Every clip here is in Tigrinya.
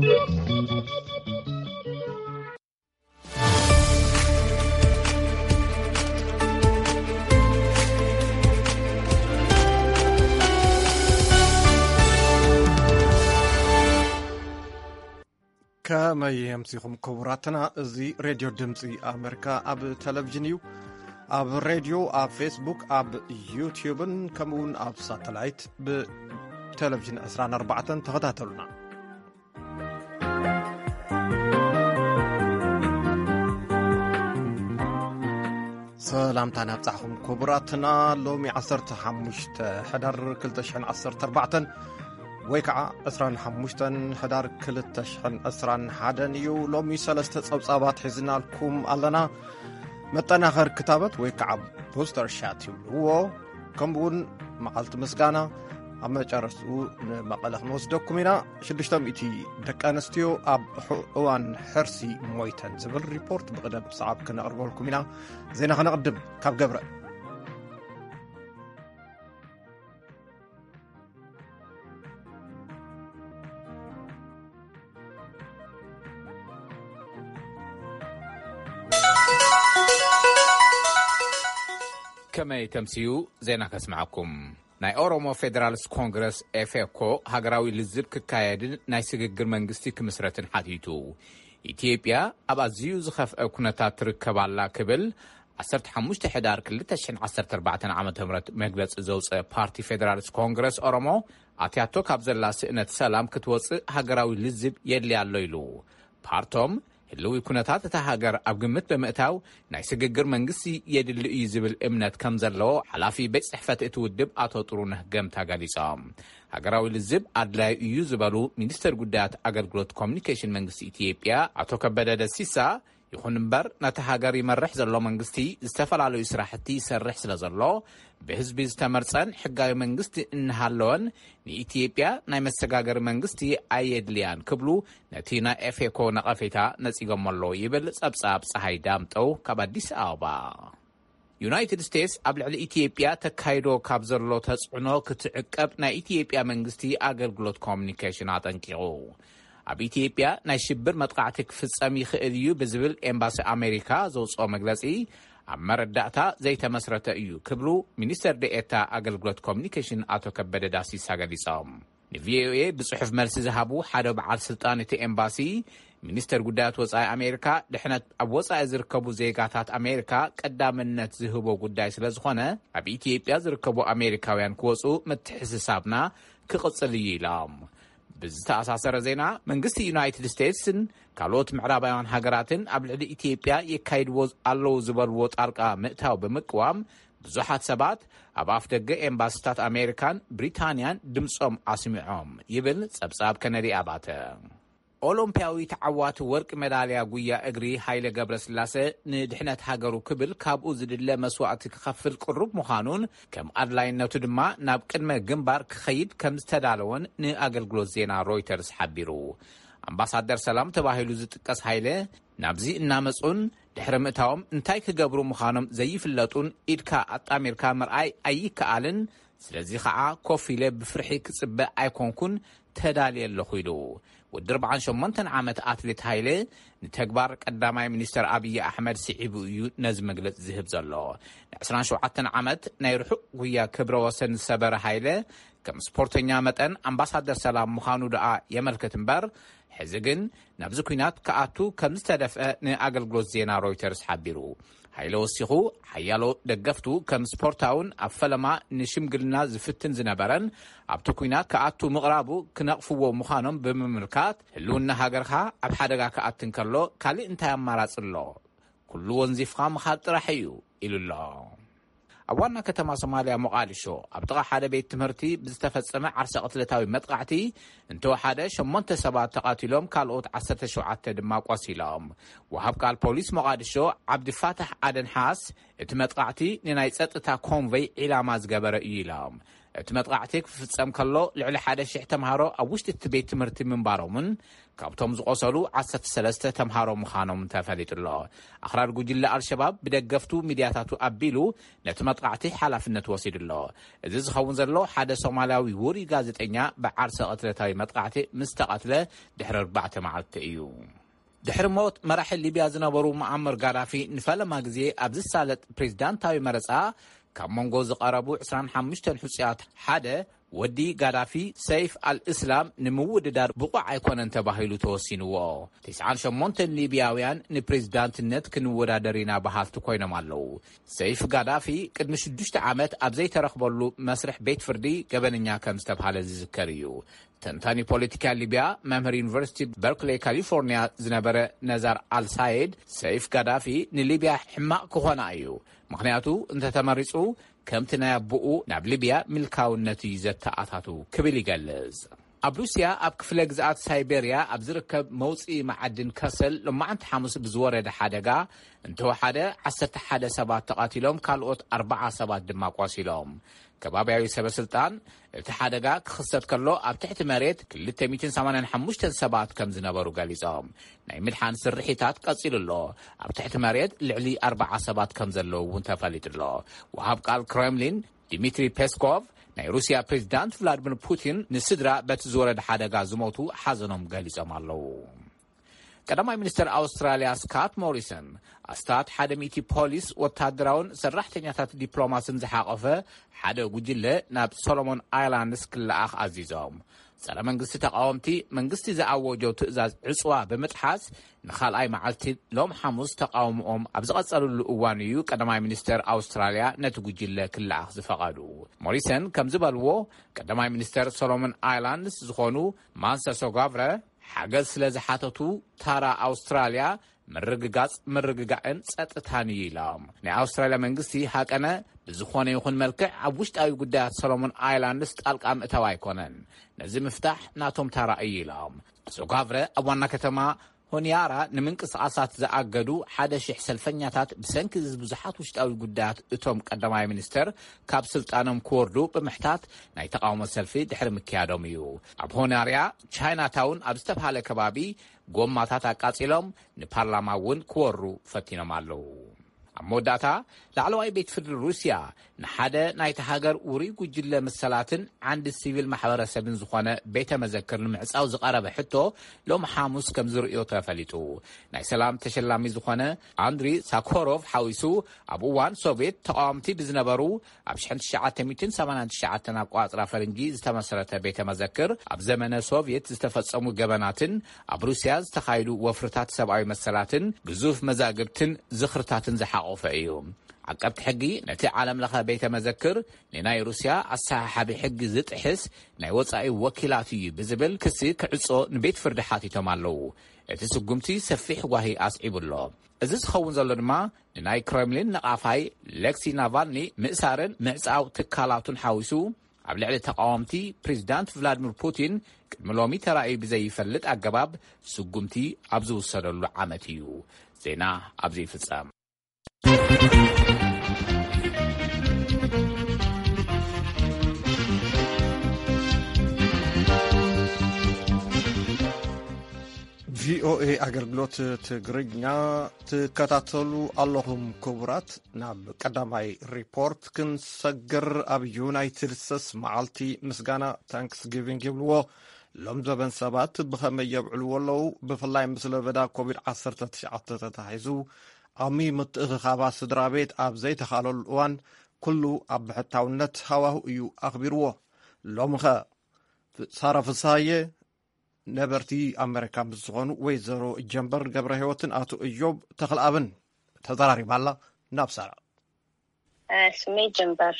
ከመይ ኣምሲኹም ክቡራትና? እዚ ሬድዮ ድምፂ ኣሜሪካ ኣብ ቴሌቪዥን እዩ። ኣብ ሬድዮ፣ ኣብ ፌስቡክ፣ ኣብ ዩቲዩብን ከምኡውን ኣብ ሳተላይት ብቴሌቪዥን ዕስራን ኣርባዕተን ተኸታተሉና። ሰላምታ ናብጻሕኹም ክቡራትና። ሎሚ ዓሰርተ ሓሙሽተ ሕዳር ክልተ ሽሕን ዓሰርተ ኣርባዕተን ወይ ከዓ ዕስራን ሓሙሽተን ሕዳር ክልተ ሽሕን ዕስራን ሓደን እዩ። ሎሚ ሰለስተ ጸብጻባት ሒዝናልኩም ኣለና። መጠናኸር ክታበት ወይ ከዓ ቡስተር ሻት ይብልዎ። ከምኡውን መዓልቲ ምስጋና። ኣብ መጨረሽትኡ ንመቐለ ክንወስደኩም ኢና። ሽዱሽተ ሚእቲ ደቂ ኣንስትዮ ኣብ ሕ-፣ እዋን ሕርሲ ሞይተን ዝብል ሪፖርት ብቕደም ሰዓብ ክነቕርበልኩም ኢና። ዜና ከነቕድም ካብ ገብረ። ከመይ ተምስዩ? ዜና ከስምዓኩም። ናይ ኦሮሞ ፌደራልስ ኮንግረስ ኤፌኮ ሃገራዊ ልዝብ ክካየድን ናይ ስግግር መንግስቲ ክምስረትን ሓቲቱ። ኢትዮጵያ ኣብ ኣዝዩ ዝኸፍአ ኩነታት ትርከብ ኣላ ክብል ዓሰርተ ሓሙሽተ ሕዳር ክልተ ሽሕን ዓሰርተ ኣርባዕተን ዓመተ ምህረት መግለጺ ዘውጸ ፓርቲ ፌደራልስ ኮንግረስ ኦሮሞ ኣትያቶ ካብ ዘላ ስእነት ሰላም ክትወጽእ ሃገራዊ ልዝብ የድልያ ኣሎ ኢሉ። ፓርቶም ህልዊ ኩነታት እታ ሃገር ኣብ ግምት ብምእታው ናይ ስግግር መንግስቲ የድሊ እዩ ዝብል እምነት ከም ዘለዎ ሓላፊ ቤት ጽሕፈት እቲ ውድብ ኣቶ ጥሩነህ ገምታ ገሊጾም። ሃገራዊ ልዝብ ኣድላዩ እዩ ዝበሉ ሚኒስተር ጉዳያት ኣገልግሎት ኮሚኒኬሽን መንግስቲ ኢትዮጵያ ኣቶ ከበደ ደሲሳ፣ ይኹን እምበር ነቲ ሃገር ይመርሕ ዘሎ መንግስቲ ዝተፈላለዩ ስራሕቲ ይሰርሕ ስለ ዘሎ ብህዝቢ ዝተመርጸን ሕጋዊ መንግስቲ እናሃለወን ንኢትዮጵያ ናይ መሰጋገሪ መንግስቲ ኣየድልያን ክብሉ ነቲ ናይ ኤፌኮ ነቐፌታ ነጺጎሞ ኣለዉ ይብል ጸብጻብ ጸሃይ ዳምጠው ካብ ኣዲስ ኣበባ። ዩናይትድ ስቴትስ ኣብ ልዕሊ ኢትዮጵያ ተካይዶ ካብ ዘሎ ተጽዕኖ ክትዕቀብ ናይ ኢትዮጵያ መንግስቲ ኣገልግሎት ኮሚኒኬሽን ኣጠንቂቑ። ኣብ ኢትዮጵያ ናይ ሽብር መጥቃዕቲ ክፍጸም ይኽእል እዩ ብዝብል ኤምባሲ ኣሜሪካ ዘውጽኦ መግለጺ ኣብ መረዳእታ ዘይተመስረተ እዩ ክብሉ ሚኒስተር ደኤታ ኣገልግሎት ኮሚኒኬሽን ኣቶ ከበደ ዳሲሳ ገሊጾም። ንቪኦኤ ብጽሑፍ መልሲ ዝሃቡ ሓደ በዓል ስልጣን እቲ ኤምባሲ፣ ሚኒስተር ጉዳያት ወጻኢ ኣሜሪካ፣ ድሕነት ኣብ ወጻኢ ዝርከቡ ዜጋታት ኣሜሪካ ቀዳምነት ዝህቦ ጉዳይ ስለ ዝኾነ፣ ኣብ ኢትዮጵያ ዝርከቡ ኣሜሪካውያን ክወጹ ምትሕስሳብና ክቕጽል እዩ ኢሎም። ብዝተኣሳሰረ ዜና፣ መንግስቲ ዩናይትድ ስቴትስን ካልኦት ምዕራባውያን ሃገራትን ኣብ ልዕሊ ኢትዮጵያ የካይድዎ ኣለዉ ዝበልዎ ጣልቃ ምእታው ብምቅዋም፣ ብዙሓት ሰባት ኣብ ኣፍ ደገ ኤምባሲታት ኣሜሪካን ብሪታንያን ድምጾም ኣስሚዖም ይብል ጸብጻብ ከነዲ ኣባተ። ኦሎምፒያዊ ተዓዋቲ ወርቂ ሜዳልያ ጉያ እግሪ ሃይለ ገብረስላሰ ንድሕነት ሃገሩ ክብል ካብኡ ዝድለ መስዋእቲ ክኸፍል ቅሩብ ምዃኑን ከም ኣድላይነቱ ድማ ናብ ቅድመ ግንባር ክኸይድ ከም ዝተዳለወን ንኣገልግሎት ዜና ሮይተርስ ሓቢሩ። ኣምባሳደር ሰላም ተባሂሉ ዝጥቀስ ሃይለ ናብዚ እናመጹን ድሕሪ ምእታዎም እንታይ ክገብሩ ምዃኖም ዘይፍለጡን ኢድካ ኣጣሚርካ ምርኣይ ኣይከኣልን። ስለዚ ኸዓ ኮፍ ኢለ ብፍርሒ ክጽበ ኣይኮንኩን፣ ተዳልየ ኣለኹ ኢሉ። ወዲ ኣርብዓን ሸሞንተን ዓመት ኣትሌት ሃይለ ንተግባር ቀዳማይ ሚኒስተር ኣብይ ኣሕመድ ስዒቡ እዩ ነዚ መግለጺ ዝህብ ዘሎ። ን ዕስራን ሸውዓተን ዓመት ናይ ርሑቕ ጉያ ክብረ ወሰን ዝሰበረ ሃይለ ከም ስፖርተኛ መጠን ኣምባሳደር ሰላም ምዃኑ ደኣ የመልክት እምበር፣ ሕዚ ግን ናብዚ ኲናት ክኣቱ ከም ዝተደፍአ ንኣገልግሎት ዜና ሮይተርስ ሓቢሩ። ሃይለ ወሲኹ፣ ሓያሎ ደገፍቱ ከም ስፖርታውን ኣብ ፈለማ ንሽምግልና ዝፍትን ዝነበረን ኣብቲ ኲናት ክኣቱ ምቕራቡ ክነቕፍዎ ምዃኖም ብምምልካት፣ ህልውና ሃገርኻ ኣብ ሓደጋ ክኣቲ እንከሎ ካልእ እንታይ ኣማራጺ ኣሎ? ኩሉ ወንዚፍኻ ምኻድ ጥራሕ እዩ ኢሉ ኣሎ። ኣብ ዋና ከተማ ሶማልያ ሞቓዲሾ ኣብ ጥቓ ሓደ ቤት ትምህርቲ ብዝተፈጸመ ዓርሰ ቅትለታዊ መጥቃዕቲ እንተወሓደ ሸሞንተ ሰባት ተቓቲሎም፣ ካልኦት ዓሰርተ ሸውዓተ ድማ ቆሲሎም። ወሃብ ቃል ፖሊስ ሞቓዲሾ ዓብዲ ፋታሕ ኣደን ሓስ እቲ መጥቃዕቲ ንናይ ጸጥታ ኮንቨይ ዒላማ ዝገበረ እዩ ኢሎም። እቲ መጥቓዕቲ ክፍጸም ከሎ፣ ልዕሊ ሓደ ሽሕ ተምሃሮ ኣብ ውሽጢ እቲ ቤት ትምህርቲ ምንባሮምን ካብቶም ዝቖሰሉ ዓሰርተ ሰለስተ ተምሃሮ ምዃኖም ተፈሊጡ ኣሎ። ኣኽራሪ ጉጅለ ኣልሸባብ ብደገፍቱ ሚድያታቱ ኣቢሉ ነቲ መጥቓዕቲ ሓላፍነት ወሲዱ ኣሎ። እዚ ዝኸውን ዘሎ፣ ሓደ ሶማልያዊ ውሩይ ጋዜጠኛ ብዓርሰ ቅትለታዊ መጥቓዕቲ ምስ ተቐትለ ድሕሪ ኣርባዕተ መዓልቲ እዩ። ድሕሪ ሞት መራሒ ሊብያ ዝነበሩ ሙዓመር ጋዳፊ፣ ንፈለማ ግዜ ኣብ ዝሳለጥ ፕሬዝዳንታዊ መረጻ ካብ መንጎ ዝቐረቡ ዕስራን ሓሙሽተን ሕጹያት ሓደ፣ ወዲ ጋዳፊ ሰይፍ ኣልእስላም ንምውድዳር ብቑዕ ኣይኮነን ተባሂሉ ተወሲንዎ። ተስዓን ሸሞንተን ሊብያውያን ንፕሬዝዳንትነት ክንወዳደር ኢና በሃልቲ ኮይኖም ኣለዉ። ሰይፍ ጋዳፊ ቅድሚ ሽዱሽተ ዓመት ኣብ ዘይተረኽበሉ መስርሕ ቤት ፍርዲ ገበነኛ ከም ዝተብሃለ ዝዝከር እዩ። ተንታኒ ፖለቲካ ሊብያ፣ መምህር ዩኒቨርሲቲ በርክሌይ ካሊፎርኒያ ዝነበረ ነዛር ኣልሳይድ፣ ሰይፍ ጋዳፊ ንሊብያ ሕማቕ ክኾና እዩ፣ ምኽንያቱ እንተተመሪጹ ከምቲ ናይ ኣቦኡ ናብ ሊብያ ምልካውነት እዩ ዘተኣታቱ ክብል ይገልጽ። ኣብ ሩስያ ኣብ ክፍለ ግዝኣት ሳይቤርያ ኣብ ዝርከብ መውፅኢ መዓድን ከሰል ሎማዕንቲ ሓሙስ ብዝወረደ ሓደጋ እንተወሓደ ዓሰርተ ሓደ ሰባት ተቐቲሎም፣ ካልኦት ኣርባዓ ሰባት ድማ ቆሲሎም። ከባብያዊ ሰበ ስልጣን እቲ ሓደጋ ክኽሰት ከሎ ኣብ ትሕቲ መሬት ክልተ ሚእትን ሰማንያን ሓሙሽተን ሰባት ከም ዝነበሩ ገሊጾም። ናይ ምድሓን ስርሒታት ቀጺሉ ኣሎ። ኣብ ትሕቲ መሬት ልዕሊ ኣርባዓ ሰባት ከም ዘለዉ እውን ተፈሊጡ ኣሎ። ወሃብ ቃል ክሬምሊን ዲሚትሪ ፔስኮቭ፣ ናይ ሩስያ ፕሬዚዳንት ቭላድሚር ፑቲን ንስድራ በቲ ዝወረደ ሓደጋ ዝሞቱ ሓዘኖም ገሊጾም ኣለዉ። ቀዳማይ ሚኒስትር ኣውስትራልያ ስካት ሞሪሰን፣ ኣስታት ሓደ ሚእቲ ፖሊስ፣ ወታደራውን ሰራሕተኛታት ዲፕሎማስን ዝሓቆፈ ሓደ ጉጅለ ናብ ሶሎሞን ኣይላንድስ ክለኣኽ ኣዚዞም። ጸረ መንግስቲ ተቃወምቲ፣ መንግስቲ ዝኣወጆ ትእዛዝ ዕጽዋ ብምጥሓስ፣ ንኻልኣይ መዓልቲ ሎም ሓሙስ ተቃውሞኦም ኣብ ዝቐጸልሉ እዋን እዩ ቀዳማይ ሚኒስተር ኣውስትራልያ ነቲ ጉጅለ ክለኣኽ ዝፈቐዱ። ሞሪሰን ከም ዝበልዎ፣ ቀዳማይ ሚኒስተር ሶሎሞን ኣይላንድስ ዝኾኑ ማንሰ ሶጋቭረ ሓገዝ ስለ ዝሓተቱ፣ ታራ ኣውስትራልያ ምርግጋጽ፣ ምርግጋእን ጸጥታን እዩ ኢሎም። ናይ ኣውስትራልያ መንግስቲ ሃቀነ ብዝኾነ ይኹን መልክዕ ኣብ ውሽጣዊ ጉዳያት ሶሎሞን ኣይላንድስ ጣልቃ ምእታው ኣይኮነን። ነዚ ምፍታሕ ናቶም ታራ እዩ ኢሎም። ሶጋቭረ ኣብ ዋና ከተማ ሆኒያራ ንምንቅስቓሳት ዝኣገዱ ሓደ ሽሕ ሰልፈኛታት ብሰንኪ እዚ ብዙሓት ውሽጣዊ ጉዳያት እቶም ቀዳማይ ሚኒስተር ካብ ስልጣኖም ክወርዱ ብምሕታት ናይ ተቃውሞ ሰልፊ ድሕሪ ምክያዶም እዩ። ኣብ ሆናርያ ቻይና ታውን ኣብ ዝተብሃለ ከባቢ ጎማታት ኣቃጺሎም ንፓርላማ እውን ክወሩ ፈቲኖም ኣለዉ። ኣብ መወዳእታ፣ ላዕለዋይ ቤት ፍርዲ ሩስያ ንሓደ ናይቲ ሃገር ውሩይ ጉጅለ መሰላትን ዓንዲ ሲቪል ማሕበረሰብን ዝኾነ ቤተ መዘክር ንምዕጻው ዝቐረበ ሕቶ ሎም ሓሙስ ከም ዝርእዮ ተፈሊጡ። ናይ ሰላም ተሸላሚ ዝኾነ ኣንድሪ ሳኮሮቭ ሓዊሱ፣ ኣብ እዋን ሶቭየት ተቃወምቲ ብዝነበሩ ኣብ ሽሕን ትሽዓተ ሚእትን ሰማንያን ትሽዓተን ኣቆጻጽራ ፈረንጂ ዝተመስረተ ቤተ መዘክር፣ ኣብ ዘመነ ሶቭየት ዝተፈጸሙ ገበናትን ኣብ ሩስያ ዝተኻየዱ ወፍርታት ሰብኣዊ መሰላትን ግዙፍ መዛግብትን ዝኽርታትን ዝሓቖፈ እዩ። ዓቀብቲ ሕጊ ነቲ ዓለም ለኸ ቤተ መዘክር ንናይ ሩስያ ኣሰሓሓቢ ሕጊ ዝጥሕስ ናይ ወጻኢ ወኪላት እዩ ብዝብል ክሲ ክዕጾ ንቤት ፍርዲ ሓቲቶም ኣለዉ። እቲ ስጉምቲ ሰፊሕ ጓሂ ኣስዒቡ ኣሎ። እዚ ዝኸውን ዘሎ ድማ ንናይ ክሬምሊን ነቓፋይ ሌክሲ ናቫልኒ ምእሳርን ምዕጻው ትካላቱን ሓዊሱ፣ ኣብ ልዕሊ ተቃወምቲ ፕሬዚዳንት ቭላድሚር ፑቲን ቅድሚ ሎሚ ተራእዩ ብዘይፈልጥ ኣገባብ ስጉምቲ ኣብ ዝውሰደሉ ዓመት እዩ። ዜና ኣብዚ ይፍጸም። ቪኦኤ ኣገልግሎት ትግርኛ ትከታተሉ ኣለኹም ክቡራት። ናብ ቀዳማይ ሪፖርት ክንሰግር፣ ኣብ ዩናይትድ ስቴትስ መዓልቲ ምስጋና ታንክስጊቪንግ ይብልዎ። ሎም ዘበን ሰባት ብኸመይ የብዕልዎ ኣለዉ? ብፍላይ ምስ ለበዳ ኮቪድ ዓሰርተ ትሽዓተ ተታሒዙ ዓሚ ምትእኽኻባ ስድራ ቤት ኣብ ዘይተኻለሉ እዋን፣ ኩሉ ኣብ ብሕታውነት ሃዋሁ እዩ ኣኽቢርዎ። ሎምኸ? ሳራ ፍስሃየ ነበርቲ ኣመሪካ ምስ ዝኾኑ ወይዘሮ ጀንበር ገብረ ህይወትን ኣቶ እዮብ ተኽለኣብን ተዘራሪባ ኣላ። ናብ ሳራ። ስመይ ጀንበር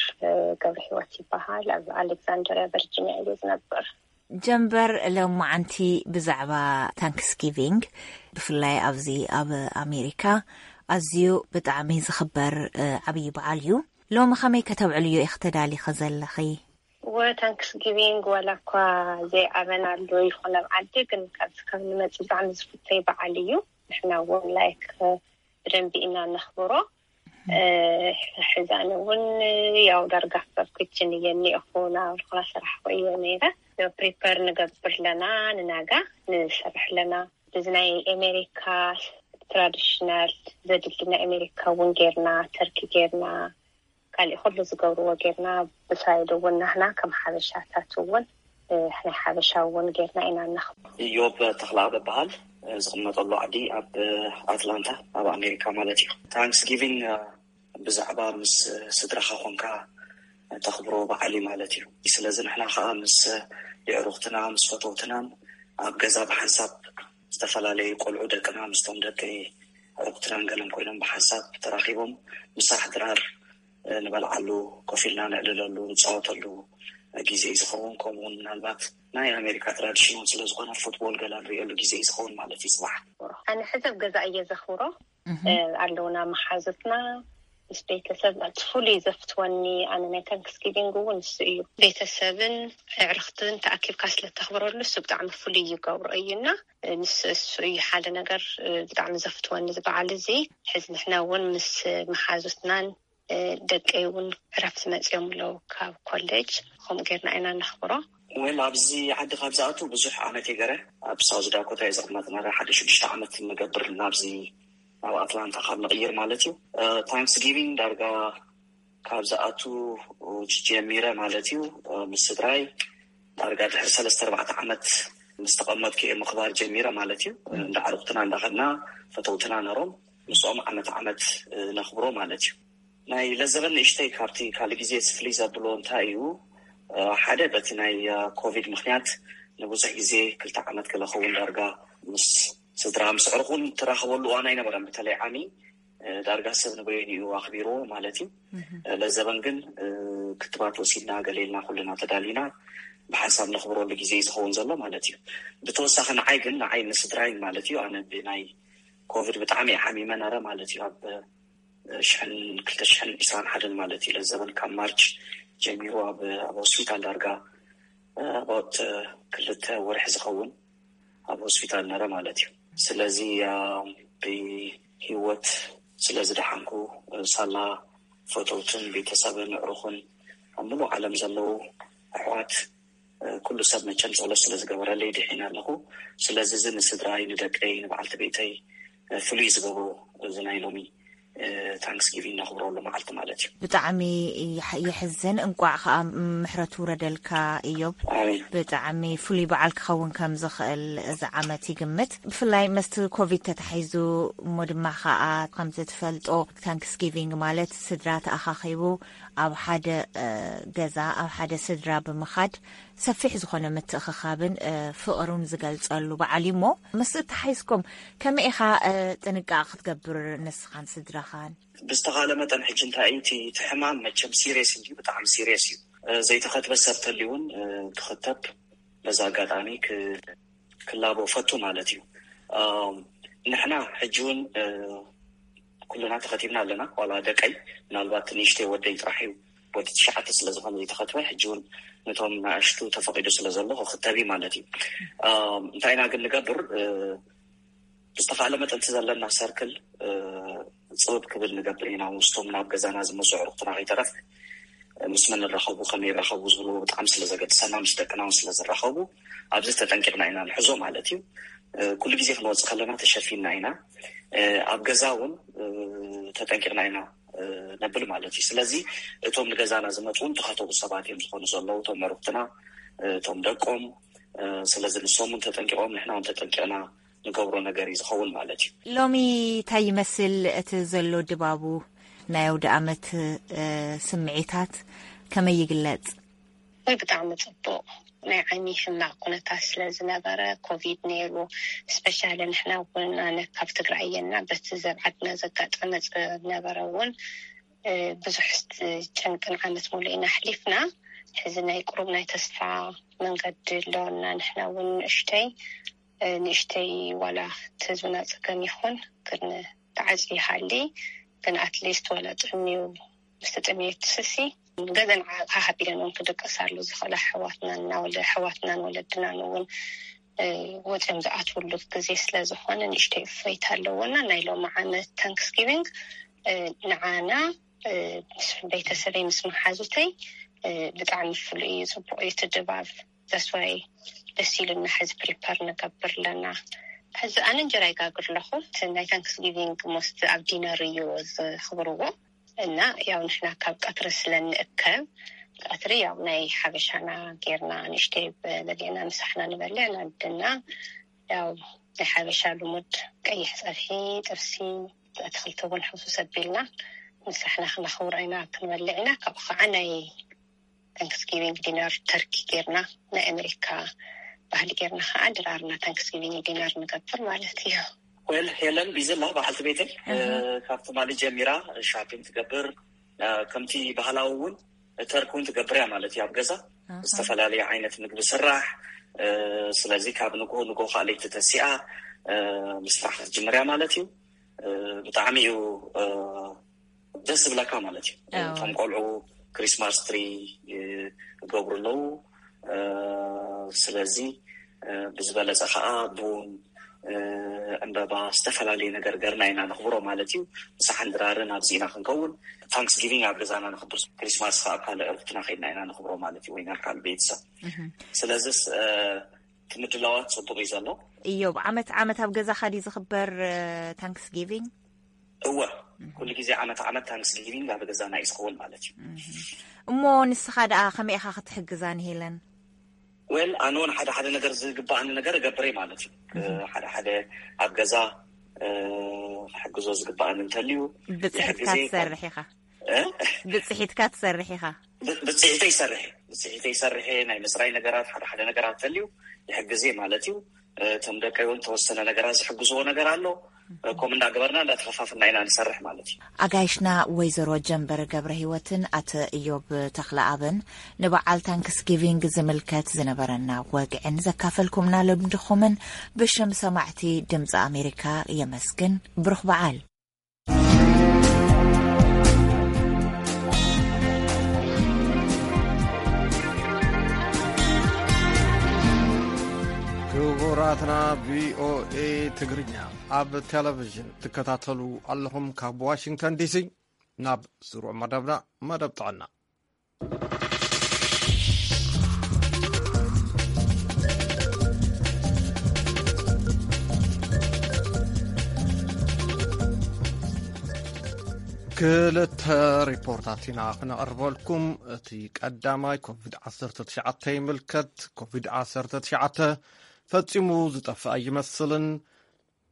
ገብረ ህይወት ይበሃል። ኣብ ኣሌክዛንድሪያ ቨርጂኒያ እየ ዝነብር። ጀንበር፣ ሎማዓንቲ ብዛዕባ ታንክስጊቪንግ፣ ብፍላይ ኣብዚ ኣብ ኣሜሪካ ኣዝዩ ብጣዕሚ ዝኽበር፣ እ፣ ዓብዪ በዓል እዩ። ሎሚ ከመይ ከተብዕልዮ ኢኺ ተዳሊኺ ዘለኺ? ወ ታንክስጊቪንግ ዋላ እኳ ዘይዓበናሉ ይኹን ኣብ ዓዲ፣ ግን ካብዚ ካብ ንመጽእ ብጣዕሚ ዝፍተይ በዓል እዩ። ንሕና እውን ላይክ ብደንቢ ኢና ነኽብሮ። ሕዛን እውን ያው ዳርጋ ክሳብ ክችን እየ እኒኦኹ ናብ ልኾና ስራሕ እየ ነይረ። ፕሪፐር ንገብር ኣለና፣ ንናጋ ንሰርሕ ኣለና። እዚ ናይ ኣሜሪካ ትራዲሽናል ዘድሊ ናይ ኣሜሪካ እውን ጌርና፣ ተርኪ ጌርና፣ ካሊእ ኩሉ ዝገብርዎ ጌርና። ብሳይድ እውን ናህና ከም ሓበሻታት እውን ናይ ሓበሻ እውን ጌርና ኢና እናኽብሮ። ኢዮብ ተኽለኣብ እበሃል። ዝቕመጠሉ ዓዲ ኣብ ኣትላንታ ኣብ ኣሜሪካ ማለት እዩ። ታንክስ ጊቪንግ ብዛዕባ ምስ ስድራኻ ኮንካ ተኽብሮ በዓል እዩ ማለት እዩ። ስለዚ ንሕና ከዓ ምስ የዕሩኽትና ምስ ፈተውትናን ኣብ ገዛ ብሓንሳብ ዝተፈላለዩ ቆልዑ ደቅና ምስቶም ደቂ ዕሩኽትናን ገለን ኮይኖም ብሓንሳብ ተራኺቦም ምሳሕ ድራር ንበልዓሉ፣ ኮፍ ኢልና ንዕልለሉ፣ ንፃወተሉ ግዜ እዩ ዝኸውን። ከምኡውን ምናልባት ናይ ኣሜሪካ ትራዲሽን እውን ስለዝኾነ ፉትቦል ገላ ንሪእሉ ግዜ እዩ ዝኸውን ማለት እዩ። ፅባሕ ኣነ ሕዘብ ገዛ እየ ዘኽብሮ ኣለውና መሓዙትና ምስ ቤተሰብ እቲ ፍሉይ ዘፍትወኒ ኣነ ናይ ታንክስጊቪንግ እውን ንሱ እዩ። ቤተሰብን ኣዕርኽትን ተኣኪብካ ስለተኽብረሉ እሱ ብጣዕሚ ፍሉይ ይገብሮ እዩና ንሱ እሱ እዩ ሓደ ነገር ብጣዕሚ ዘፍትወኒ ዝበዓል እዚ። ሕዚ ንሕና እውን ምስ መሓዙትናን ደቀይ እውን ዕረፍቲ መፅኦም ኣለዉ ካብ ኮሌጅ። ከምኡ ጌርና ኢና ነኽብሮ። ወል ኣብዚ ዓዲ ካብ ዝኣቱ ብዙሕ ዓመት ይገረ ኣብ ሳውዝ ዳኮታ እዩ ዘቕመጥና ሓደ ሽዱሽተ ዓመት ንገብር ናብዚ ናብ ኣትላንታ ካብ ንቕይር ማለት እዩ። ታንክስ ጊቪንግ ዳርጋ ካብ ዝኣቱ ጀሚረ ማለት እዩ ምስ ስድራይ ዳርጋ ድሕሪ ሰለስተ ኣርባዕተ ዓመት ምስ ተቐመጥኩ እየ ምኽባር ጀሚረ ማለት እዩ። እንዳ ዓርኩትና እንዳኸድና ፈተውትና ነሮም ምስኦም ዓመት ዓመት ነኽብሮ ማለት እዩ። ናይ ለዘበን ንእሽተይ ካብቲ ካልእ ግዜ ፍልይ ዘብሎ እንታይ እዩ? ሓደ በቲ ናይ ኮቪድ ምክንያት ንብዙሕ ግዜ ክልተ ዓመት ክለኸውን ዳርጋ ምስ ስድራ ምስ ዕርኹን ትራኸበሉ እዋን ኣይነበረን። በተለይ ዓሚ ዳርጋ ሰብ ንበይኑ እዩ ኣኽቢርዎ ማለት እዩ። ለዘበን ግን ክትባት ወሲድና ገሌልና ኩልና ተዳሊና ብሓንሳብ ነኽብረሉ ግዜ እዩ ዝኸውን ዘሎ ማለት እዩ። ብተወሳኺ ንዓይ ግን ንዓይ ንስድራይን ማለት እዩ ኣነ ብናይ ኮቪድ ብጣዕሚ ሓሚመ ነረ ማለት እዩ። ኣብ ሽሕን ክልተ ሽሕን ዕስራን ሓደን ማለት እዩ። ለዘበን ካብ ማርች ጀሚሩ ኣብ ኣብ ሆስፒታል ዳርጋ ኣባውት ክልተ ወርሒ ዝኸውን ኣብ ሆስፒታል ነረ ማለት እዩ። ስለዚ ብሂወት ስለዝደሓንኩ ሳላ ፈተውትን ቤተሰብን ኣዕሩኽን ኣብ ሙሉእ ዓለም ዘለዉ ኣሕዋት ኩሉ ሰብ መቸም ጸሎት ስለ ዝገበረለይ ድሒነ ኣለኹ። ስለዚ እዚ ንስድራይ ንደቀይ ንበዓልቲ ቤተይ ፍሉይ ዝገብሮ እዚ ናይ ሎሚ ታንክስጊቪንግ ነኽብረሉ መዓልቲ ማለት እዩ። ብጣዕሚ የሕዝን። እንቋዕ ከዓ ምሕረት ውረደልካ እዮብ። ብጣዕሚ ፍሉይ በዓል ክኸውን ከም ዝኽእል እዚ ዓመት ይግምት። ብፍላይ መስቲ ኮቪድ ተታሒዙ እሞ ድማ ከዓ ከምዚ ትፈልጦ ታንክስጊቪንግ ማለት ስድራ ተኣኻኺቡ ኣብ ሓደ ገዛ ኣብ ሓደ ስድራ ብምኻድ ሰፊሕ ዝኾነ ምትእኽኻብን ፍቕሩን ዝገልጸሉ በዓል እዩ እሞ ምስ እተሓይዝኩም ከመይ ኢኻ ጥንቃቕ ክትገብር ንስኻን ስድራኻን? ብዝተኻለ መጠን ሕጂ እንታይ እዩ እቲ ሕማም መቸም ሲሪየስ እንዲ ብጣዕሚ ሲሪየስ እዩ። ዘይተኸትበ ሰብ ተልዩ እውን ክኽተብ በዛ ኣጋጣሚ ክላቦ ፈቱ ማለት እዩ። ንሕና ሕጂ እውን ኩልና ተኸቲብና ኣለና። ዋላ ደቀይ ምናልባት ንእሽተይ ወደይ ጥራሕ እዩ ወዲ ትሽዓተ ስለ ዝኾነ ዘይተኸትበ ሕጂ እውን ነቶም ንኣሽቱ ተፈቒዱ ስለ ዘሎ ክኽተብ እዩ ማለት እዩ። እንታይ ኢና ግን ንገብር ብዝተኻእለ መጠን እቲ ዘለና ሰርክል ፅብብ ክብል ንገብር ኢና። ምስቶም ናብ ገዛና ዝመፁ ኣዕሩኽትና ከይተረፍ ምስ መን ንራኸቡ ከመይ ይራኸቡ ዝብሉ ብጣዕሚ ስለ ዘገድሰና ምስ ደቅና እውን ስለ ዝራኸቡ ኣብዚ ተጠንቂቕና ኢና ንሕዞ ማለት እዩ። ኩሉ ግዜ ክንወፅእ ከለና ተሸፊንና ኢና። ኣብ ገዛ እውን ተጠንቂቕና ኢና ነብል ማለት እዩ። ስለዚ እቶም ንገዛና ዝመፁ እውን ተኸተቡ ሰባት እዮም ዝኾኑ ዘለዉ እቶም ኣዕሩኽትና እቶም ደቆም። ስለዚ ንሶም እውን ተጠንቂቖም ንሕና እውን ተጠንቂቕና ንገብሮ ነገር እዩ ዝኸውን ማለት እዩ። ሎሚ እንታይ ይመስል እቲ ዘሎ ድባቡ? ናይ ኣውደ ኣመት ስምዒታት ከመይ ይግለጽ? ወይ ብጣዕሚ ጽቡቕ። ናይ ዓይኒ ሕማቕ ኩነታት ስለ ዝነበረ ኮቪድ ነይሩ። ስፔሻሊ ንሕና እውን ኣነ ካብ ትግራይ እየና በቲ ዘብ ዓድና ዘጋጠመ ዝነበረ እውን ብዙሕ ጨንቅን ዓመት ሙሉእ ኢና ኣሕሊፍና። ሕዚ ናይ ቁሩብ ናይ ተስፋ መንገዲ ኣለወና። ንሕና እውን ንእሽተይ ንእሽተይ ዋላ እቲ ህዝብና ፀገም ይኹን ግን ተዓፂ ይሃሊ ግን ኣትሊስት ዋላ ጥዕሚዩ ምስ ተጠሚየ ትስሲ ገዘን ዓቕሓ ሃቢለን እውን ክድቅሳሉ ዝኽእላ ኣሕዋትናን እናወለ ኣሕዋትናን ወለድናን እውን ወፂኦም ዝኣትውሉ ግዜ ስለ ዝኾነ ንእሽተይ እፎይታ ኣለዎና። ናይ ሎሚ ዓመት ታንክስጊቪንግ ንዓና፣ ምስ ቤተሰበይ፣ ምስ መሓዙተይ ብጣዕሚ ፍሉይ እዩ፣ ጽቡቕ እዩ እቲ ድባብ። ዘስዋይ ደስ ኢሉና ሕዚ ፕሪፐር ንገብር ኣለና። ሕዚ ኣነ እንጀራ ይጋግር ኣለኹ። እቲ ናይ ታንክስ ጊቪንግ ሞስት ኣብ ዲነር እዩ ዝኽብርዎ። እና ያው ንሕና ካብ ቀትሪ ስለ ንእከብ፣ ቀትሪ ያው ናይ ሓበሻና ጌርና ንእሽተይ በለጌና ምሳሕና ንበልዕ፣ ንኣድና ያው ናይ ሓበሻ ልሙድ ቀይሕ ጸብሒ፣ ጥብሲ፣ ኣትክልቲ እውን ሕውስውስ ኣቢልና ምሳሕና ክነኽብሮ ኢና፣ ክንበልዕ ኢና። ካብኡ ከዓ ናይ ታንክስጊቪንግ ዲነር ተርኪ ጌርና፣ ናይ ኣሜሪካ ባህሊ ጌርና ከዓ ድራርና ታንክስጊቪንግ ዲነር ንገብር ማለት እዩ። ወል ሄለን ቢዝላ በዓልቲ ቤተይ ካብ ትማሊ ጀሚራ ሻፒንግ ትገብር፣ ከምቲ ባህላዊ እውን ተርክ እውን ትገብር እያ ማለት እዩ። ኣብ ገዛ ዝተፈላለዩ ዓይነት ምግቢ ስራሕ። ስለዚ ካብ ንጎ ንጎ ካልእቲ ተሲኣ ምስራሕ ክትጅምር እያ ማለት እዩ። ብጣዕሚ እዩ ደስ ዝብለካ ማለት እዩ። እቶም ቆልዑ ክሪስማስ ትሪ ይገብሩ ኣለዉ። ስለዚ ብዝበለፀ ከዓ ቡን፣ ዕምበባ፣ ዝተፈላለዩ ነገር ገርና ኢና ነኽብሮ ማለት እዩ። ምሳሕን ድራርን ኣብዚ ኢና ክንከውን። ታንክስጊቪንግ ኣብ ገዛና ነኽብር፣ ክሪስማስ ከዓ ኣብ ካልእ ዕርፍትና ከይድና ኢና ነኽብሮ ማለት እዩ፣ ወይ ናብ ካልእ ቤተሰብ። ስለዚስ እቲ ምድላዋት ፅቡቅ እዩ ዘሎ። እዮብ፣ ዓመት ዓመት ኣብ ገዛኻ ድዩ ዝኽበር ታንክስጊቪንግ? እወ፣ ኩሉ ግዜ ዓመት ዓመት ታንክስጊቪንግ ኣብ ገዛና እዩ ዝኸውን ማለት እዩ። እሞ ንስኻ ደኣ ከመይ ኢኻ ክትሕግዛ ንሄለን? ወል ኣነ እውን ሓደ ሓደ ነገር ዝግባኣኒ ነገር እገብር እየ ማለት እዩ። ሓደ ሓደ ኣብ ገዛ ክሕግዞ ዝግባኣኒ እንተልዩ ብፅሒትካ ትሰርሕ ኢኻ። ብፅሒትካ ትሰርሕ ኢኻ። ብፅሒተይ ይሰርሕ፣ ብፅሒተይ ይሰርሕ። ናይ ምፅራይ ነገራት፣ ሓደ ሓደ ነገራት እንተልዩ ይሕግዝ እየ ማለት እዩ። እቶም ደቀይ እውን ተወሰነ ነገራት ዝሕግዝዎ ነገር ኣሎ። ከምኡ እንዳገበርና እንዳተኸፋፍልና ኢና ንሰርሕ ማለት እዩ። ኣጋይሽና ወይዘሮ ጀንበር ገብረ ህይወትን ኣቶ እዮብ ተኽለኣብን ንበዓል ታንክስጊቪንግ ዝምልከት ዝነበረና ወግዕን ዘካፈልኩምና ልምድኹምን ብሽም ሰማዕቲ ድምፂ ኣሜሪካ የመስግን። ብሩኽ በዓል። ክቡራትና ቪኦኤ ትግርኛ ኣብ ቴሌቪዥን ትከታተሉ ኣለኹም ካብ ዋሽንግተን ዲሲ። ናብ ስሩዕ መደብና፣ መደብ ጥዕና። ክልተ ሪፖርታት ኢና ክነቕርበልኩም። እቲ ቀዳማይ ኮቪድ ዓሰርተ ትሽዓተ ይምልከት። ኮቪድ ዓሰርተ ትሽዓተ ፈጺሙ ዝጠፍእ ኣይመስልን።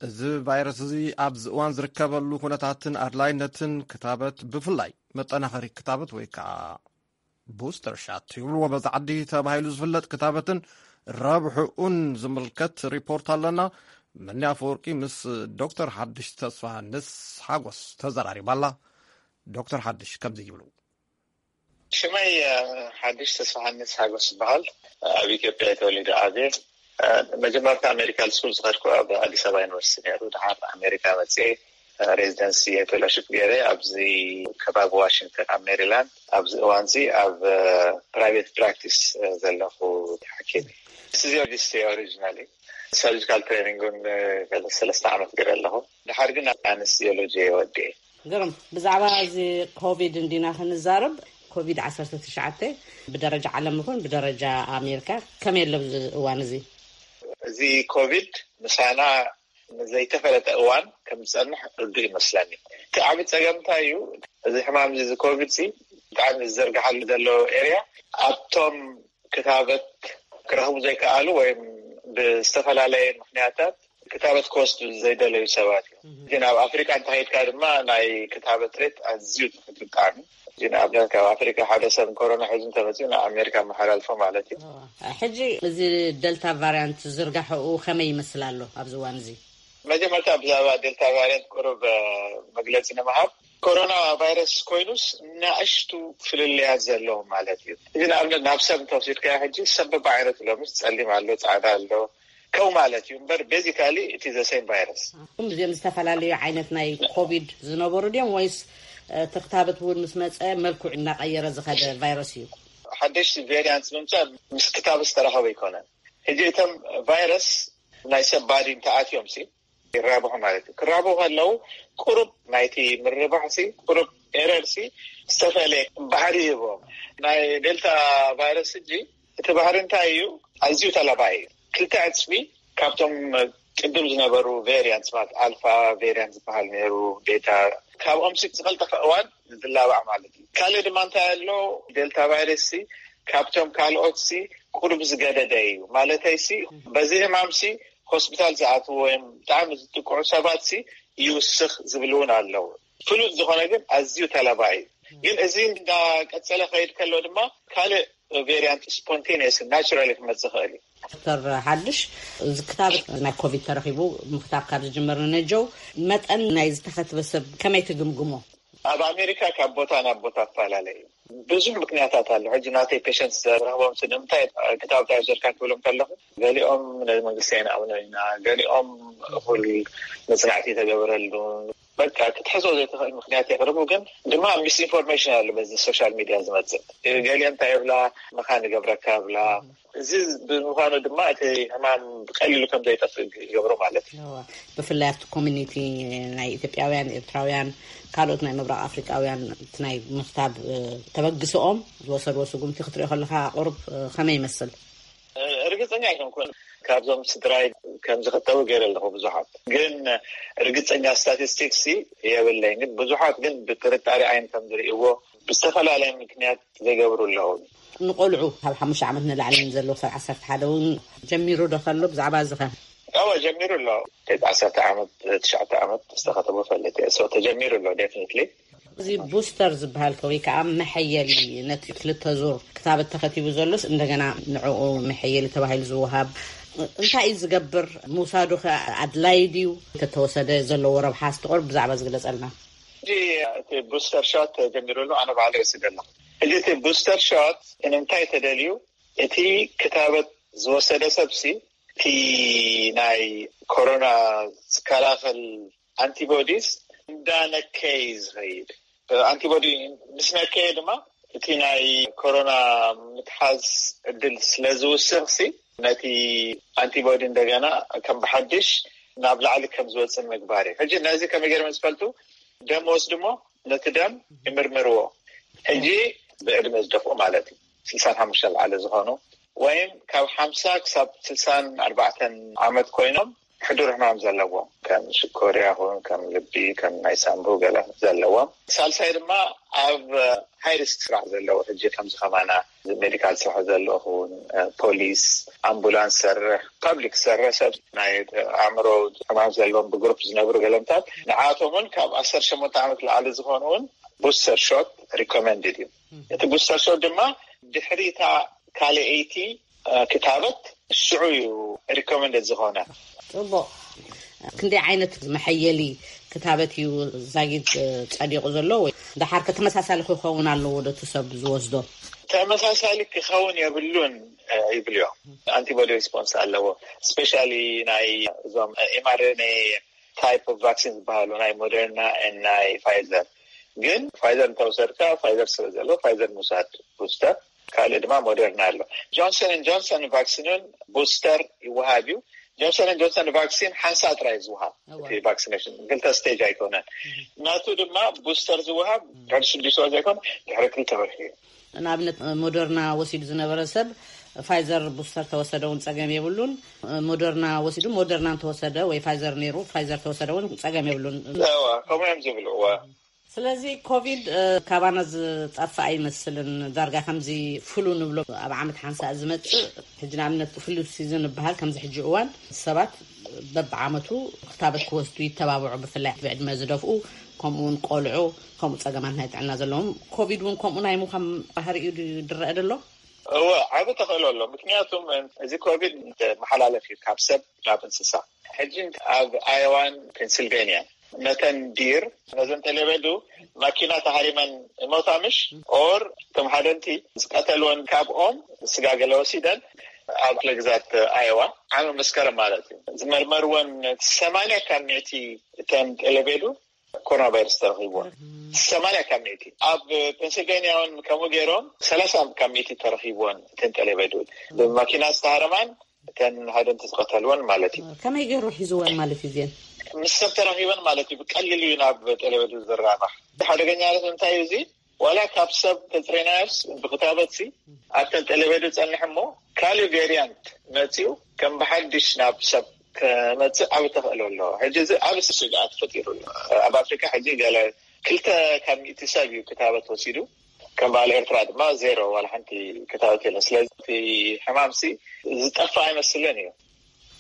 እዚ ቫይረስ እዚ ኣብዚ እዋን ዝርከበሉ ኩነታትን ኣድላይነትን ክታበት፣ ብፍላይ መጠናኸሪ ክታበት ወይ ከዓ ቡስተር ሻት ይብልዎ በዚ ዓዲ ተባሂሉ ዝፍለጥ ክታበትን ረብሕኡን ዝምልከት ሪፖርት ኣለና። መኒ ኣፈወርቂ ምስ ዶክተር ሓድሽ ተስፋሃንስ ሓጎስ ተዘራሪባላ። ዶክተር ሓድሽ ከምዚ ይብሉ። ሽመይ ሓድሽ ተስፋሃንስ ሓጎስ ይበሃል። ኣብ ኢትዮጵያ ተወሊደ ዓብየ። መጀመርታ ሜዲካል ስኩል ዝኸድኩ ኣብ ኣዲስ ኣበባ ዩኒቨርሲቲ ነይሩ። ድሓር ኣሜሪካ መፅኤ ሬዚደንሲ ፌሎሺፕ ገይረ ኣብዚ ከባቢ ዋሽንግተን ኣብ ሜሪላንድ። ኣብዚ እዋንዚ ኣብ ፕራይቬት ፕራክቲስ ዘለኹ ሓኪም። ፊዚዮሎጂስት እየ ኦሪጂናሊ። ሰርጂካል ትሬኒንግ እውን ሰለስተ ዓመት ገይረ ኣለኹ። ድሓር ግን ኣነስቲዮሎጂ እየ ወዲኤ። ግርም፣ ብዛዕባ እዚ ኮቪድ እንዲና ክንዛረብ። ኮቪድ ዓሰርተ ትሽዓተ ብደረጃ ዓለም ይኹን ብደረጃ ኣሜሪካ ከመይ ኣሎ ኣብዚ እዋን እዚ? እዚ ኮቪድ ምሳና ንዘይተፈለጠ እዋን ከም ዝጸንሕ ርዱእ ይመስለኒ። እቲ ዓቢ ጸገም እንታይ እዩ? እዚ ሕማም እዚ፣ እዚ ኮቪድ ሲ ብጣዕሚ ዝዘርግሓሉ ዘሎ ኤርያ፣ ኣብቶም ክታበት ክረኽቡ ዘይከኣሉ ወይም ብዝተፈላለየ ምኽንያታት ክታበት ክወስዱ ዘይደለዩ ሰባት እዮም። ግን ኣብ ኣፍሪቃ እንተኸይድካ ድማ ናይ ክታበት ሬት ኣዝዩ ትሑት ብጣዕሚ። ግን ኣብነት ካብ ኣፍሪቃ ሓደ ሰብ ኮሮና ሒዙ እንተመፅኡ ናብ ኣሜሪካ መሓላልፎ ማለት እዩ። ሕጂ እዚ ደልታ ቫርያንት ዝርጋሕኡ ከመይ ይመስል ኣሎ ኣብዚ እዋን እዚ? መጀመርታ ብዛዕባ ዴልታ ቫርያንት ቁሩብ መግለፂ ንምሃብ። ኮሮና ቫይረስ ኮይኑስ ናእሽቱ ፍልልያት ዘለዎም ማለት እዩ። እዚ ንኣብነት ናብ ሰብ እንተወሲድካዮ ሕጂ ሰብ በብዓይነቱ ኣሎ፣ ምስ ጸሊም ኣሎ፣ ጻዕዳ ኣሎ፣ ከምኡ ማለት እዩ። እምበር ቤዚካሊ እቲ ዘ ሴም ቫይረስ። እዚኦም ዝተፈላለዩ ዓይነት ናይ ኮቪድ ዝነበሩ ድዮም ወይስ እቲ ክታበት እውን ምስ መጸ መልክዑ እናቐየረ ዝኸደ ቫይረስ እዩ? ሓደሽቲ ቬሪያንት ምምጻእ ምስ ክታበት ዝተራኸበ ኣይኮነን። ሕጂ እቶም ቫይረስ ናይ ሰብ ባዲ እንተኣትዮም ሲ ይራብሑ ማለት እዩ። ክራብሑ ከለዉ ቁሩብ ናይቲ ምርባሕሲ ቁሩብ ኤረርሲ ዝተፈለየ ባህሪ ይህቦም። ናይ ዴልታ ቫይረስ ሕጂ እቲ ባህሪ እንታይ እዩ? ኣዝዩ ተላባኢ እዩ። ክልተ ዕፅፊ ካብቶም ቅድም ዝነበሩ ቬሪያንት ማለት ኣልፋ ቬሪያንት ዝበሃል ነይሩ፣ ቤታ፣ ካብኦም ሲ ዝቐልጠፈ እዋን ዝላባዕ ማለት እዩ። ካልእ ድማ እንታይ ኣሎ? ዴልታ ቫይረስ ሲ ካብቶም ካልኦት ሲ ቁሩብ ዝገደደ እዩ። ማለተይ ሲ በዚ ህማም ሲ ሆስፒታል ዝኣትዎ ወይም ብጣዕሚ ዝጥቅዑ ሰባት ሲ ይውስኽ ዝብል እውን ኣለዉ። ፍሉጥ ዝኾነ ግን ኣዝዩ ተላባኢ እዩ። ግን እዚ እንዳቀጸለ ከይድ ከሎ ድማ ካልእ ቬሪያንት ስፖንቴኒየስ ናቹራሊ ክመጽእ ይኽእል እዩ። ዶክተር ሓድሽ፣ እዚ ክታበት ናይ ኮቪድ ተረኺቡ ምክታብ ካብ ዝጅምር ንነጀው መጠን ናይ ዝተኸትበ ሰብ ከመይ ትግምግሞ? ኣብ ኣሜሪካ ካብ ቦታ ናብ ቦታ ትፈላለ እዩ። ብዙሕ ምክንያታት ኣሎ። ሕጂ ናተይ ፔሸንት ዝረኽቦም ሲ ንምንታይ ክታበት ኣይወሰድካን ክብሎም ከለኹ፣ ገሊኦም ነዚ መንግስቲ ኣይንኣምኖ ኢና፣ ገሊኦም እኹል መጽናዕቲ ተገበረሉ፣ በቃ ክትሕዞ ዘይትኽእል ምክንያት የቕርቡ። ግን ድማ ሚስኢንፎርሜሽን ኣሎ በዚ ሶሻል ሚድያ ዝመጽእ። ገሊኦም እንታይ ይብላ፣ መኻን ይገብረካ ይብላ። እዚ ብምዃኑ ድማ እቲ ሕማም ብቀሊሉ ከም ዘይጠፍእ ይገብሮ ማለት እዩ። እዋ፣ ብፍላይ ኣብቲ ኮሚኒቲ ናይ ኢትዮጵያውያን፣ ኤርትራውያን፣ ካልኦት ናይ ምብራቕ ኣፍሪቃውያን እቲ ናይ ምኽታብ እ፣ ተበግስኦም ዝወሰድዎ ስጉምቲ ክትሪኦ ከለኻ ቁሩብ እ፣ ከመይ ይመስል? እ፣ ርግጸኛ ኣይኮንኩን። ካብዞም ስድራይ ከም ዝኽተቡ ገይረ ኣለኹ ብዙሓት፣ ግን ርግጸኛ ስታቲስቲክስ የብለይን። ግን ብዙሓት ግን ብጥርጣሬ ዓይን ከም ዝርእይዎ ብዝተፈላለየ ምክንያት ዘይገብሩ ኣለዉ። ንቆልዑ ካብ ሓሙሽተ ዓመት ንላዕሊ ዘለዉ ክሳብ ዓሰርተ ሓደ እውን ጀሚሩ ዶ ከሎ ብዛዕባ እዚ ኸ? እወ፣ ጀሚሩ ኣሎ። ዓሰርተ ዓመት፣ ትሽዓተ ዓመት ዝተኸተቡ ፈልጥ እየ። So ተጀሚሩ ኣሎ ዴፊኒትሊ። እዚ ቡስተር ዝበሃል ከ ወይ ከዓ መሐየሊ ነቲ ክልተ ዙር ክታበት ተኸቲቡ ዘሎስ እንደገና ንዕኡ መሐየሊ ተባሂሉ ዝወሃብ እንታይ እዩ ዝገብር? ምውሳዱ ከ ኣድላዪ ድዩ? እንተተወሰደ ዘለዎ ረብሓ እስቲ ቁሩብ ብዛዕባ ዝግለጸልና። ሕጂ እቲ ቡስተር ሾት ተጀሚሩ ኣሎ፣ ኣነ ባዕለ ይወስድ ኣለኹ። ሕጂ እቲ ቡስተር ሾት ንምንታይ ተደልዩ? እቲ ክታበት ዝወሰደ ሰብሲ እቲ ናይ ኮሮና ዝከላኸል ኣንቲቦዲስ እንዳነከየ እዩ ዝኸይድ። ኣንቲቦዲ ምስ ነከየ ድማ እቲ ናይ ኮሮና ምትሓዝ ዕድል ስለ ዝውስኽሲ ነቲ ኣንቲቦዲ እንደገና ከም ብሓድሽ ናብ ላዕሊ ከም ዝወፅእ ምግባር እዩ። ሕጂ ነዚ ከመይ ገይሮም ዝፈልጡ? ደም ወስዱ እሞ ነቲ ደም ይምርምርዎ። ሕጂ ብዕድመ ዝደፍኡ ማለት እዩ፣ ስልሳን ሓሙሽተን ላዕሊ ዝኾኑ ወይም ካብ ሓምሳ ክሳብ ስልሳን ኣርባዕተን ዓመት ኮይኖም ሕዱር ሕማም ዘለዎም፣ ከም ሽኮር ይኹን ከም ልቢ፣ ከም ናይ ሳምቡ ገለ ዘለዎም። ሳልሳይ ድማ ኣብ ሃይ ሪስክ ስራሕ ዘለዉ፣ ሕጂ ከምዚ ከማና ሜዲካል ስራሕ ዘለኹ፣ ፖሊስ፣ ኣምቡላንስ ሰርሕ፣ ፓብሊክ ሰርሕ፣ ሰብ ናይ ኣእምሮ ሕማም ዘለዎም ብግሩፕ ዝነብሩ ገለምታት፣ ንዓቶም እውን ካብ ዓሰርተ ሸሞንተ ዓመት ላዕሊ ዝኾኑ እውን ቡስተር ሾት ሪኮመንድድ እዩ። እቲ ቡስተር ሾት ድማ ድሕሪታ ካልኣይቲ ክታበት ሽዑ እዩ ሪኮመንድድ ዝኾነ። ጽቡቕ። ክንደይ ዓይነት መሐየሊ ክታበት እዩ ዛጊድ ጸዲቑ ዘሎ? ወይ ደሓር ከ ተመሳሳሊ ክኸውን ኣለዎ ዶ እቲ ሰብ ዝወስዶ? ተመሳሳሊ ክኸውን የብሉን፣ እ፣ ይብልዮ። ኣንቲቦዲ ሪስፖንስ ኣለዎ። ስፔሻሊ ናይ እዞም፣ እ፣ ኤምኣርኤንኤ ታይፕ ኦፍ ቫክሲን ዝበሃሉ ናይ ሞደርና ኤን ናይ ፋይዘር። ግን ፋይዘር እንተወሰድካ፣ ፋይዘር ስለ ዘሎ ፋይዘር ምውሳድ ቡስተር፣ ካልእ ድማ ሞደርና ኣሎ። ጆንሰን ን ጆንሰን ቫክሲንን ቡስተር ይወሃብ እዩ። ጆንሰን ን ጆንሰን ቫክሲን ሓንሳእ ጥራይ እዩ ዝወሃብ። እዋ። እቲ ቫክሲኔሽን ክልተ ስቴጅ ኣይኮነን። ናቱ ድማ ቡስተር ዝወሃብ ድሕሪ ሽዱሽተ ወር ዘይኮነ ድሕሪ ክልተ ወርሒ እዩ። ንኣብነት ሞደርና ወሲዱ ዝነበረ ሰብ ፋይዘር ቡስተር ተወሰደ እውን ጸገም የብሉን። ሞደርና ወሲዱ ሞደርና እንተወሰደ ወይ ፋይዘር ነይሩ ፋይዘር ተወሰደ እውን ጸገም የብሉን። እዋ፣ ከምኡ እዮም ዝብሉ። እዋ። ስለዚ ኮቪድ እ፣ ካባና ዝጠፍእ ኣይመስልን። ዳርጋ ከምዚ ፍሉ ንብሎ ኣብ ዓመት ሓንሳእ ዝመጽእ፣ ሕጂ ንኣብነት ፍሉ ሲዝን ይበሃል። ከምዚ ሕጂ እዋን ሰባት በብዓመቱ ክታበት ክወስዱ ይተባብዑ፣ ብፍላይ ብዕድመ ዝደፍኡ፣ ከምኡ እውን ቆልዑ፣ ከምኡ ጸገማት ናይ ጥዕና ዘለዎም። ኮቪድ እውን ከምኡ ናይ ምዃን ባህሪኡ ድዩ ዝረአ ዘሎ? እወ፣ ዓቢ ተኽእሎ ኣሎ። ምክንያቱም እዚ ኮቪድ መሓላለፊ እዩ ካብ ሰብ ናብ እንስሳ። ሕጂ ኣብ ኣዮዋን ፔንሲልቬንያን ነተን ዲር፣ ነዘን ጠለበዱ ማኪና ተሃሪመን ይሞታ ምሽ? ኦር እቶም ሓደንቲ ዝቀተልወን ካብኦም ስጋ ገለ ወሲደን ኣብ ክፍለ ግዛት ኣዮዋ ዓሚ መስከረም ማለት እዩ ዝመርመርወን ሰማንያ ካብ ሚእቲ እተን ጠለበዱ ኮሮና ቫይረስ ተረኺብወን። ሰማንያ ካብ ሚእቲ። ኣብ ፔንሲልቬንያ እውን ከምኡ ገይሮም ሰላሳ ካብ ሚእቲ ተረኺብወን እተን ጠለበዱ። ብማኪና ዝተሃረማን እተን ሃደንቲ ዝቐተልወን ማለት እዩ። ከመይ ገይሩ ሒዝወን ማለት እዩ እዚአን? ምስ ሰብ ተራኺበን ማለት እዩ። ብቀሊሉ እዩ ናብ ጤለበዱ ዝራባሕ። ሓደገኛነት እንታይ እዩ? እዚ ዋላ ካብ ሰብ ተፅሬናዮስ ብክታበት ሲ ኣብተን ጤለበዱ ፀንሕ እሞ ካልእ ቬሪያንት መፂኡ ከም ብሓድሽ ናብ ሰብ ከመፅእ ዓብ ተኽእሎ ኣሎ። ሕጂ እዚ ዓብ ስግኣት ፈጢሩ ኣሎ ኣብ ኣፍሪካ። ሕጂ ገለ ክልተ ካብ ሚእቲ ሰብ እዩ ክታበት ወሲዱ፣ ከም በዓል ኤርትራ ድማ ዜሮ፣ ዋላ ሓንቲ ክታበት የለን። ስለዚ እቲ ሕማምሲ ዝጠፍእ ኣይመስልን እዩ።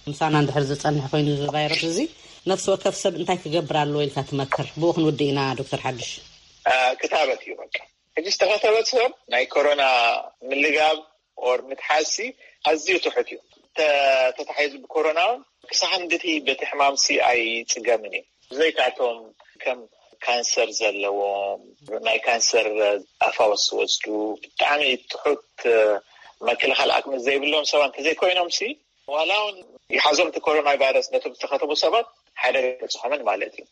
ምሳና እንድሕር ዝፀንሕ ኮይኑ እዚ ቫይረስ እዚ ነፍሲ ወከፍ ሰብ እንታይ ክገብር ኣለዎ ኢልካ ትመክር? ብኡ ክንውድእ ኢና ዶክተር ሓዱሽ። ክታበት እዩ በቃ። ሕጂ ዝተኸተበት ሰብ ናይ ኮሮና ምልጋብ ኦር ምትሓዝሲ ኣዝዩ ትሑት እዩ። ተታሒዙ ብኮሮና እውን ክሳብ ክንድቲ በቲ ሕማምሲ ኣይፅገምን እዩ። ብዘይካቶም ከም ካንሰር ዘለዎም፣ ናይ ካንሰር ኣፋወስ ዝወስዱ፣ ብጣዕሚ ትሑት መክልኻል ኣቅሚ ዘይብሎም ሰባት እንተዘይኮይኖም ሲ ዋላ እውን ይሓዞም እቲ ኮሮና ቫይረስ ነቶም ዝተኸተቡ ሰባት ሓደ ገጽሖምን ማለት እዩ።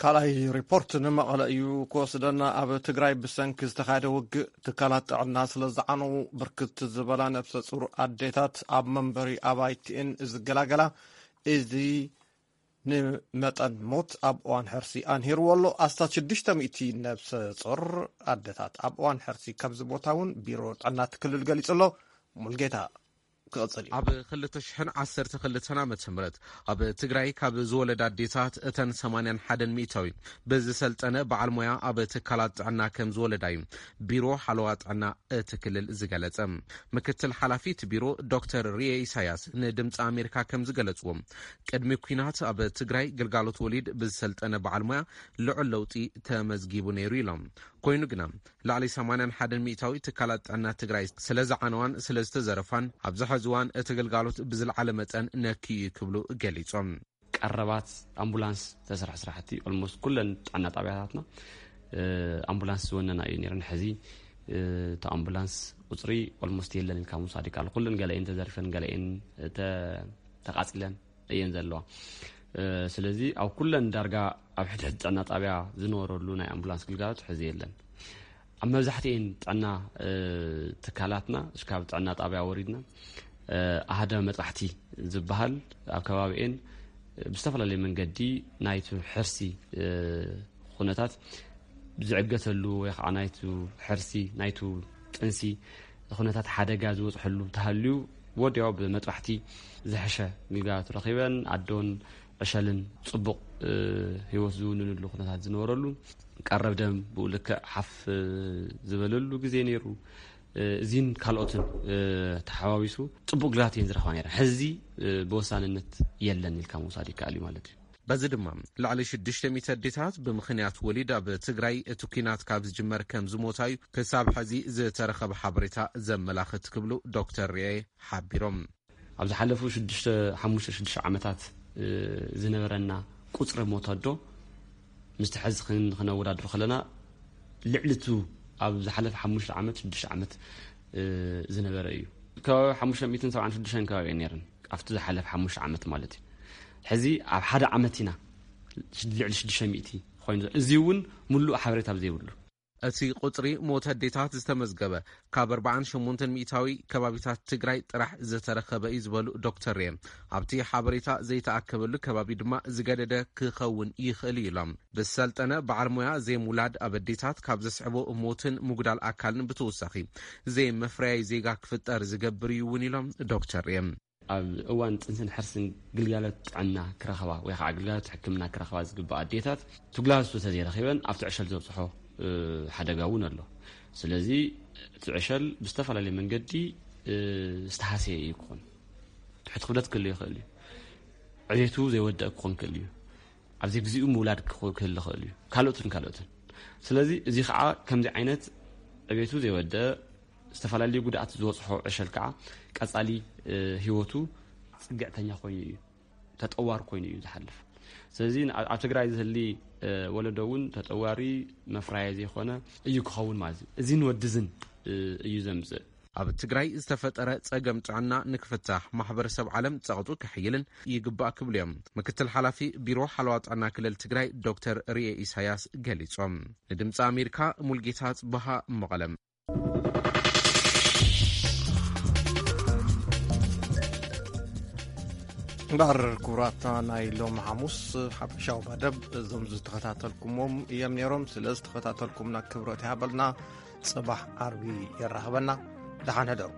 ካልኣይ ሪፖርት ንመቐለ እዩ ክወስደና። ኣብ ትግራይ ብሰንኪ ዝተኻየደ ውግእ ትካላት ጥዕና ስለ ዝዓነው ብርክት ዝበላ ነፍሰ ፁር ኣዴታት ኣብ መንበሪ ኣባይቲኤን ዝገላገላ። እዚ ንመጠን ሞት ኣብ እዋን ሕርሲ ኣንሂርዎ ኣሎ። ኣስታት ሽዱሽተ ሚእቲ ነብሰ ጾር ኣደታት ኣብ እዋን ሕርሲ ከምዝሞታ እውን ቢሮ ጥዕና እቲ ክልል ገሊጹ ኣሎ። ሙልጌታ ክቕጽል እዩ። ኣብ ክልተ ሽሕን ዓሰርተ ክልተን ዓመተ ምህረት ኣብ ትግራይ ካብ ዝወለዳ ኣዴታት እተን ሰማንያን ሓደን ሚእታዊ ብዝሰልጠነ በዓል ሞያ ኣብ ትካላት ጥዕና ከም ዝወለዳ እዩ ቢሮ ሓለዋ ጥዕና እቲ ክልል ዝገለጸ። ምክትል ሓላፊ እቲ ቢሮ ዶክተር ሪኤ ኢሳያስ ንድምፂ ኣሜሪካ ከም ዝገለፅዎ፣ ቅድሚ ኲናት ኣብ ትግራይ ግልጋሎት ወሊድ ብዝሰልጠነ በዓል ሞያ ልዑል ለውጢ ተመዝጊቡ ነይሩ ኢሎም። ኮይኑ ግና ልዕሊ ሰማንያን ሓደን ሚእታዊ ትካላት ጥዕና ትግራይ ስለ ዝዓነዋን ስለ ዝተዘረፋን ኣብዚ ሕዚ እዋን እቲ ግልጋሎት ብዝለዓለ መጠን ነክዩ እዩ ክብሉ ገሊፆም። ቀረባት ኣምቡላንስ ተሰርሐ ስራሕቲ ኦልሞስት ኩለን ጥዕና ጣብያታትና ኣምቡላንስ ዝወነና እዩ ነይረን። ሕዚ እቲ ኣምቡላንስ ቁፅሪ ኦልሞስት የለን ኢልካ ምውሳድ ይከኣል። ኩለን ገለኤን ተዘሪፈን ገለኤን ተቃፂለን እየን ዘለዋ። ስለዚ ኣብ ኩለን ዳርጋ ኣብ ሕድሕድ ጥዕና ጣብያ ዝነበረሉ ናይ ኣምቡላንስ ግልጋሎት ሕዚ የለን። ኣብ መብዛሕትኤን ጥዕና ትካላትና እስካብ ጥዕና ጣብያ ወሪድና ኣህደ መጥባሕቲ ዝበሃል ኣብ ከባቢኤን ብዝተፈላለየ መንገዲ ናይቱ ሕርሲ ኩነታት ዝዕገተሉ ወይ ከዓ ናይቱ ሕርሲ ናይቱ ጥንሲ ኩነታት ሓደጋ ዝበፅሐሉ ተሃልዩ ወዲያው ብመጥባሕቲ ዝሕሸ ግልጋሎት ረኺበን ኣዶን ዕሸልን ፅቡቕ ህይወት ዝውንንሉ ኩነታት ዝነበረሉ ቀረብ ደም ብኡ ልክዕ ሓፍ ዝበለሉ ግዜ ነይሩ። እዚን ካልኦትን ተሓዋዊሱ ፅቡቅ ግራት እየን ዝረኽባ ነይረን። ሕዚ ብወሳንነት የለን ኢልካ ምውሳድ ይከኣል እዩ ማለት እዩ። በዚ ድማ ልዕሊ ሽዱሽተ ሚእቲ ኣዴታት ብምኽንያት ወሊድ ኣብ ትግራይ እቲ ኲናት ካብ ዝጅመር ከም ዝሞታ እዩ ክሳብ ሕዚ ዝተረኸበ ሓበሬታ ዘመላኽት ክብሉ ዶክተር ሪኤ ሓቢሮም። ኣብ ዝሓለፉ ሽዱሽተ ሓሙሽተ ሽዱሽተ ዓመታት ዝነበረና ቁፅሪ ሞት ኣዶ ምስቲ ሕዚ ክነወዳድሮ ከለና ልዕሊ ቱ ኣብ ዝሓለፈ ሓሙሽተ ዓመት ሽዱሽተ ዓመት ዝነበረ እዩ። ከባቢ ሓሙሽተ ሚእትን ሰብዓን ሽዱሽተን ከባቢ እየን ነይረን ኣብቲ ዝሓለፈ ሓሙሽተ ዓመት ማለት እዩ። ሕዚ ኣብ ሓደ ዓመት ኢና ልዕሊ ሽዱሽተ ሚእቲ ኮይኑ ዘሎ። እዚ እውን ሙሉእ ሓበሬታ ኣብ ዘይብሉ እቲ ቁፅሪ ሞት ኣዴታት ዝተመዝገበ ካብ ኣርባዓን ሸሞንተን ሚእታዊ ከባቢታት ትግራይ ጥራሕ ዝተረኸበ እዩ ዝበሉ ዶክተር ሬ፣ ኣብቲ ሓበሬታ ዘይተኣከበሉ ከባቢ ድማ ዝገደደ ክኸውን ይኽእል እዩ ኢሎም። ብዝሰልጠነ በዓል ሞያ ዘይምውላድ ኣብ ኣዴታት ካብ ዘስዕቦ ሞትን ምጉዳል ኣካልን ብተወሳኺ ዘይምፍርያይ ዜጋ ክፍጠር ዝገብር እዩ እውን ኢሎም ዶክተር ሬ። ኣብ እዋን ጥንስን ሕርስን ግልጋሎት ጥዕና ክረኽባ ወይ ከዓ ግልጋሎት ሕክምና ክረኽባ ዝግባእ ኣዴታት እቲ ግልጋሎት ተዘይረኺበን ኣብቲ ዕሸል ዘብፅሖ ሓደጋ እውን ኣሎ። ስለዚ እቲ ዕሸል ብዝተፈላለየ መንገዲ ዝተሃሰየ እዩ ክኾን። ትሕቲ ክብደት ክህልዮ ይኽእል እዩ። ዕቤቱ ዘይወደአ ክኾን ክእል እዩ። ኣብ ዘይግዚኡ ምውላድ ክህሊ ይኽእል እዩ። ካልኦትን ካልኦትን። ስለዚ እዚ ከዓ ከምዚ ዓይነት ዕቤቱ ዘይወደአ ዝተፈላለዩ ጉድኣት ዝበፅሖ ዕሸል ከዓ ቀፃሊ ህይወቱ ፅግዕተኛ ኮይኑ እዩ፣ ተጠዋሪ ኮይኑ እዩ ዝሓልፍ። ስለዚ ኣብ ትግራይ ዝህሊ ወለዶ እውን ተጠዋሪ መፍራየ ዘይኮነ እዩ ክኸውን ማለት እዩ። እዚን ወድዝን እዩ ዘምፅእ። ኣብ ትግራይ ዝተፈጠረ ፀገም ጥዕና ንክፍታሕ ማሕበረሰብ ዓለም ፀቕጡ ከሕይልን ይግባእ ክብሉ እዮም ምክትል ሓላፊ ቢሮ ሓለዋ ጥዕና ክልል ትግራይ ዶክተር ርኤ ኢሳያስ ገሊፆም። ንድምፂ ኣሜሪካ ሙልጌታ ፅበሃ መቐለም። እምበኣር ክቡራትና፣ ናይ ሎም ሓሙስ ሓፈሻዊ መደብ እዞም ዝተኸታተልኩሞም እዮም ነይሮም። ስለ ዝተኸታተልኩምና ክብረት ይሃበልና። ጽባሕ ዓርቢ የራኽበና። ደሓን ሕደሩ።